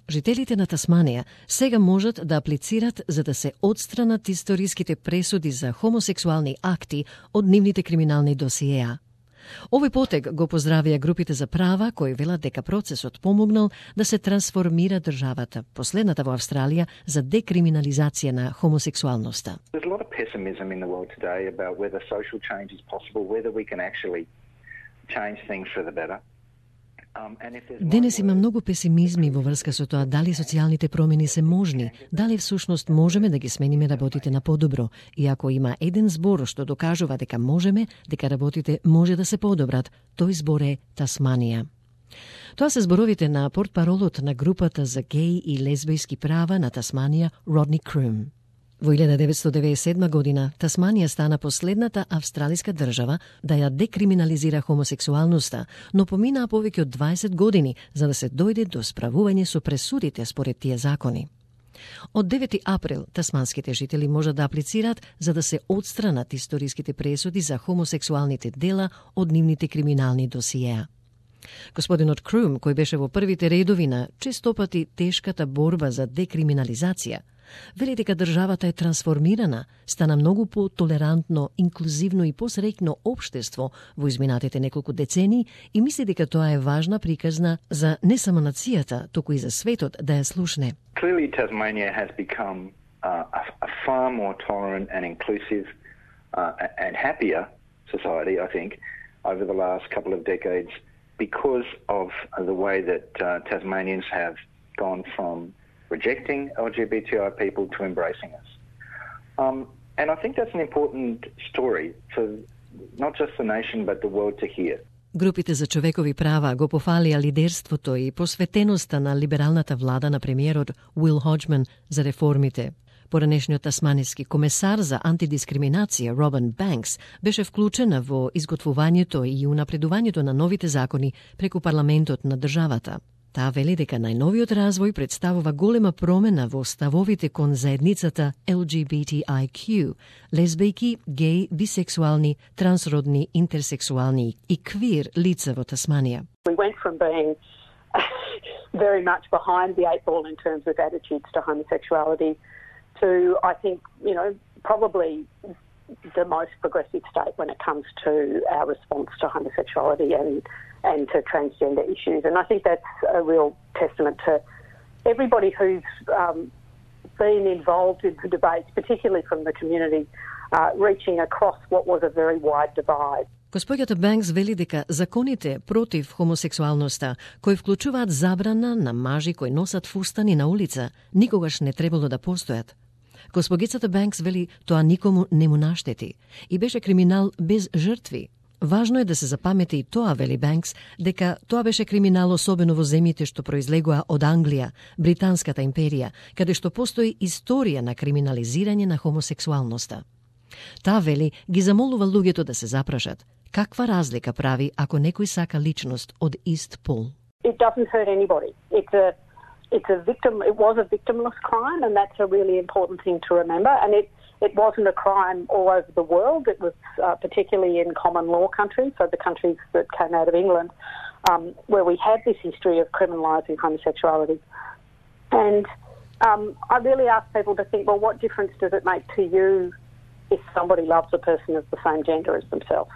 Жителите на Тасманија сега можат да аплицират за да се отстранат историските пресуди за хомосексуални акти од нивните криминални досиеа. Овој потег го поздравија групите за права кои велат дека процесот помогнал да се трансформира државата, последната во Австралија за декриминализација на хомосексуалноста. There's a lot of pessimism in the world today about whether social change is possible, whether we can actually change things for the better. Денес има многу песимизми во врска со тоа дали социјалните промени се можни, дали всушност можеме да ги смениме работите на подобро, и ако има еден збор што докажува дека можеме, дека работите може да се подобрат, тој збор е Тасманија. Тоа се зборовите на портпаролот на групата за геј и лесбијски права на Тасманија, Родни Крум. Во 1997 година Тасманија стана последната австралиска држава да ја декриминализира хомосексуалноста, но поминаа повеќе од 20 години за да се дојде до справување со пресудите според тие закони. Од 9 април тасманските жители можат да аплицираат за да се отстранат историските пресуди за хомосексуалните дела од нивните криминални досиеа. Господинот Крум, кој беше во првите редови на честопати тешката борба за декриминализација, вели дека државата е трансформирана, стана многу по-толерантно, инклузивно и посреќно општество во изминатите неколку децении и мисли дека тоа е важна приказна за не само нацијата, туку и за светот да ја слушне. Clearly Tasmania has become a far more tolerant and inclusive and happier society, I think, over the last couple of decades because of the way that Tasmanians have gone from rejecting LGBTI people to embracing us. And I think that's an important story for not just the nation but the world to hear. Групите за човекови права го пофалија лидерството и посветеноста на либералната влада на премиерот Уил Хоџман за реформите. Поранешниот тасмански комесар за антидискриминација Робин Банкс беше вклучена во изготвувањето и унапредувањето на новите закони преку парламентот на државата. Таа вели дека најновиот развој представува голема промена во ставовите кон заедницата LGBTIQ, лесбијки, геј, бисексуални, трансродни, интерсексуални и квир лица во Тасманија. We went from being very much behind the eight ball in terms of attitudes to homosexuality to, I think, probably the most progressive state when it comes to our response to homosexuality and to transgender issues. And I think that's a real testament to everybody who's been involved in the debates, particularly from the community, reaching across what was a very wide divide. Госпоѓата Банкс вели дека законите против хомосексуалноста, кои вклучуваат забрана на мажи кои носат фустани на улица, никогаш не требало да постојат. Госпогицата Банкс вели тоа никому не му наштети и беше криминал без жртви. Важно е да се запамети и тоа, вели Банкс, дека тоа беше криминал особено во земјите што произлегува од Англија, Британската империја, каде што постои историја на криминализирање на хомосексуалноста. Таа вели ги замолува луѓето да се запрашат каква разлика прави ако некој сака личност од ист пол. It doesn't hurt anybody. It was a victimless crime, and that's a really important thing to remember. And it wasn't a crime all over the world. It was particularly in common law countries, so the countries that came out of England, where we have this history of criminalising homosexuality. And I really ask people to think, well, what difference does it make to you if somebody loves a person of the same gender as themselves?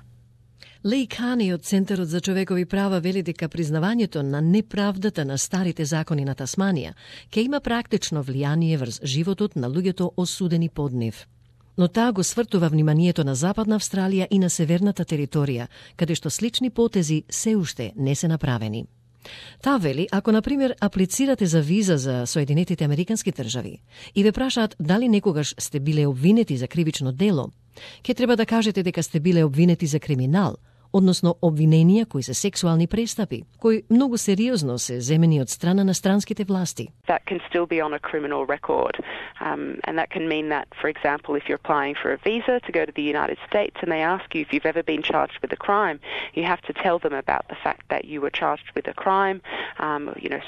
Леј Кани од Центарот за човекови права вели дека признавањето на неправдата на старите закони на Тасманија ќе има практично влијание врз животот на луѓето осудени под нив. Но таа го свртува вниманието на Западна Австралија и на северната територија, каде што слични потези се уште не се направени. Таа вели, ако, например, аплицирате за виза за Соединетите Американски држави и ве прашаат дали некогаш сте биле обвинети за кривично дело, ќе треба да кажете дека сте биле обвинети за криминал, односно обвиненија кои се сексуални престапи, кои многу сериозно се земени од страна на странските власти. That can still be on a criminal record. And that can mean that, for example, if you're applying for a visa to go to the United States and they ask you if you've ever been charged with a crime, you have to tell them about the fact that you were charged with a crime,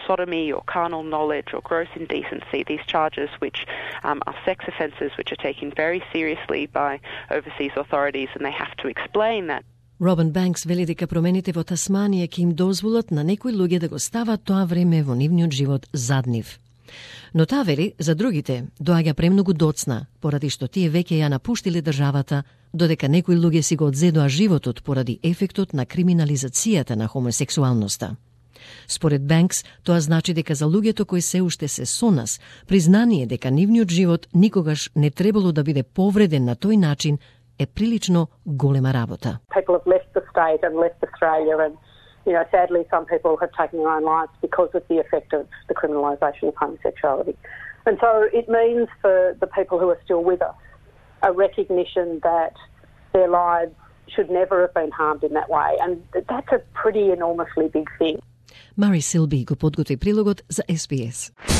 sodomy or carnal knowledge or gross indecency, these charges which are sex offences which are taken very seriously by overseas authorities, and they have to explain that. Робин Банкс вели дека промените во Тасманија ќе им дозволат на некои луѓе да го стават тоа време во нивниот живот зад нив. Но таа вели, за другите доаѓа премногу доцна, поради што тие веќе ја напуштиле државата, додека некои луѓе си го одзедоа животот поради ефектот на криминализацијата на хомосексуалноста. Според Банкс, тоа значи дека за луѓето кои се уште се со нас, признание дека нивниот живот никогаш не требало да биде повреден на тој начин е прилично голема работа. People have left the state and left Australia and, sadly some people have taken their own lives because of the effect of the criminalisation of homosexuality. And so it means for the people who are still with us a recognition that their lives should never have been harmed in that way. And that's a pretty enormously big thing. Мари Силби го подготви прилогот за SBS.